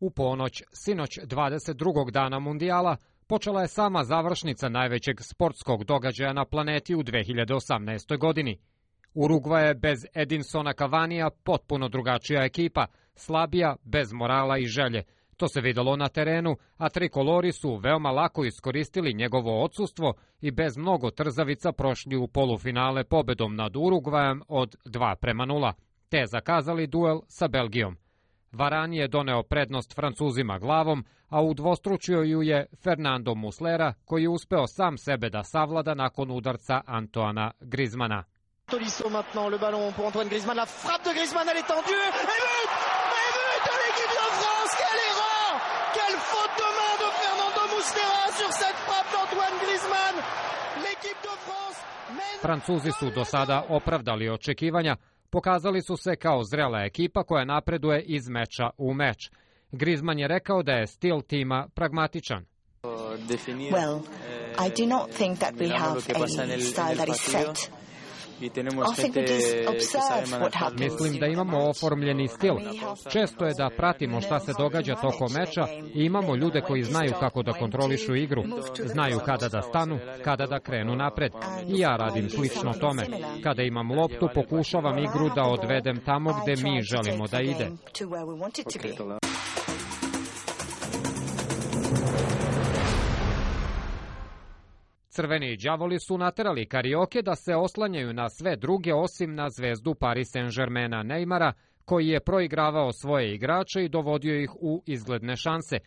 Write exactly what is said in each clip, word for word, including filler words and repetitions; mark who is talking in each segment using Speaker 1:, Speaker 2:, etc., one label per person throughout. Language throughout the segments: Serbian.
Speaker 1: U ponoć, sinoć dvadeset drugog dana mundijala, počela je sama završnica najvećeg sportskog događaja na planeti u dve hiljade osamnaestoj. godini. Urugva je bez Edinsona Cavanija potpuno drugačija ekipa, slabija, bez morala i želje. To se videlo na terenu, a trikolori su veoma lako iskoristili njegovo odsustvo i bez mnogo trzavica prošli u polufinale pobedom nad Urugvajem od dva prema nula, te zakazali duel sa Belgijom. Varane je doneo prednost Francuzima glavom, a udvostručio ju je Fernando Muslera, koji je uspeo sam sebe da savlada nakon udarca Antoana Griezmana.
Speaker 2: Tolisso maintenant, le ballon pour Antoine Griezmann, la frappe de Griezmann, elle est tendue, et but! Et but de l'équipe de France, quelle erreur! Quelle faute de main de Fernando Muslera sur cette frappe d'Antoine Griezmann! L'équipe de France mène...
Speaker 1: Francuzi su do sada opravdali očekivanja, pokazali su se kao zrela ekipa koja napreduje iz meča u meč. Griezmann je rekao da je stil tima pragmatičan.
Speaker 3: Well, I do not think that we have a style that is set.
Speaker 1: Mislim da imamo oformljeni stil. Često je da pratimo šta se događa tokom meča i imamo ljude koji znaju kako da kontrolišu igru, znaju kada da stanu, kada da krenu napred. I ja radim slično tome. Kada imam loptu, pokušavam igru da odvedem tamo gde mi želimo da ide. Crveni đavoli su naterali Karioke da se oslanjaju na sve druge osim na zvezdu Paris Saint-Germaina Neymara, koji je proigravao svoje igrače i dovodio ih u izgledne šanse.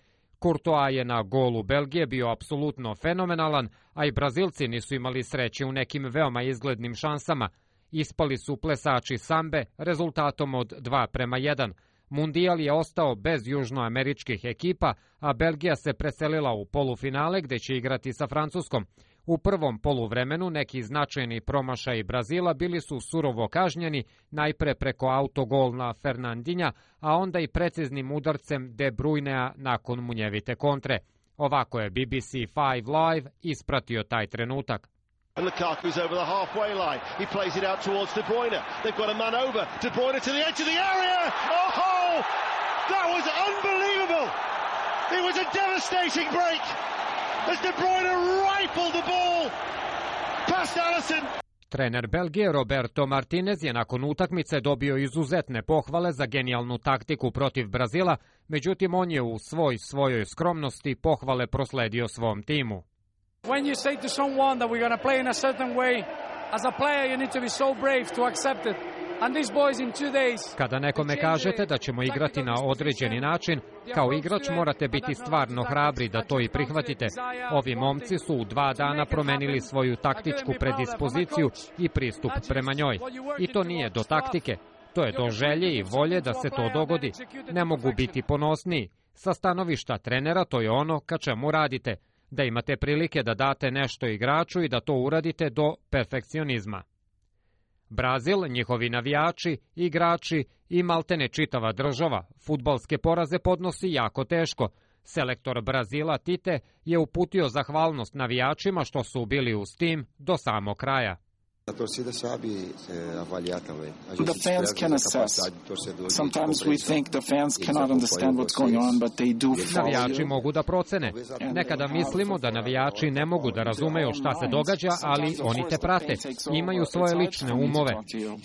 Speaker 1: Courtois je na golu Belgije bio apsolutno fenomenalan, a i Brazilci nisu imali sreće u nekim veoma izglednim šansama. Ispali su plesači sambe rezultatom od dva prema jedan. Mundijal je ostao bez južnoameričkih ekipa, a Belgija se preselila u polufinale gde će igrati sa Francuskom. U prvom poluvremenu neki značajni promašaji Brazila bili su surovo kažnjeni, najpre preko autogolna Fernandinha, a onda i preciznim udarcem De Bruynea nakon munjevite kontre. Ovako je B B C Five Live ispratio taj trenutak.
Speaker 4: Lukaku's over the halfway line. He plays it out towards De Bruyne. They've got a man over. De Bruyne to the edge of the area. Oh, that was unbelievable. It was a devastating break as De Bruyne rifled the ball past Alisson.
Speaker 1: Trener Belgije Roberto Martinez je nakon utakmice dobio izuzetne pohvale za genijalnu taktiku protiv Brazila, međutim on je u svoj svojoj skromnosti pohvale prosledio svom timu.
Speaker 5: When you say to someone that we're going to play in a certain way, as a player you need to be so brave to accept it. And these boys in two days.
Speaker 1: Kada nekome kažete da ćemo igrati na određeni način, kao igrač morate biti stvarno hrabri da to i prihvatite. Ovi momci su u dva dana promenili svoju taktičku predispoziciju i pristup prema njoj. I to nije do taktike, to je do želje i volje da se to dogodi. Ne mogu biti ponosniji. Sa stanovišta trenera to je ono ka čemu radite. Da imate prilike da date nešto igraču i da to uradite do perfekcionizma. Brazil, njihovi navijači, igrači i maltene čitava država fudbalske poraze podnosi jako teško. Selektor Brazila Tite je uputio zahvalnost navijačima što su bili uz tim do samog kraja.
Speaker 6: The fans can assess. Sometimes we think the fans cannot understand what's going on, but they do follow.
Speaker 1: Navijači mogu da procene. Nekada mislimo da navijači ne mogu da razumeju šta se događa, ali oni te prate. Imaju svoje lične umove.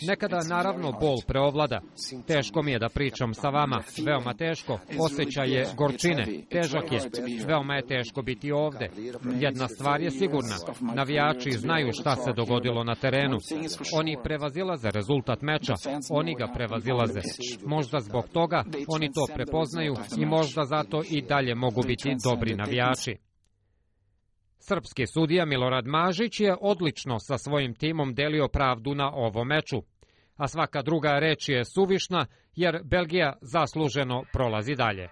Speaker 1: Nekada, naravno, bol preovlada. Teško mi je da pričam sa vama. Veoma teško. Osjećaj je gorčine. Težak je. Veoma je teško biti ovde. Jedna stvar je sigurna. Navijači znaju šta se dogodilo na terenu. Oni prevazilaze rezultat meča, oni ga prevazilaze. Možda zbog toga oni to prepoznaju i možda zato i dalje mogu biti dobri navijači. Srpski sudija Milorad Mažić je odlično sa svojim timom delio pravdu na ovom meču. A svaka druga reč je suvišna jer Belgija zasluženo prolazi dalje.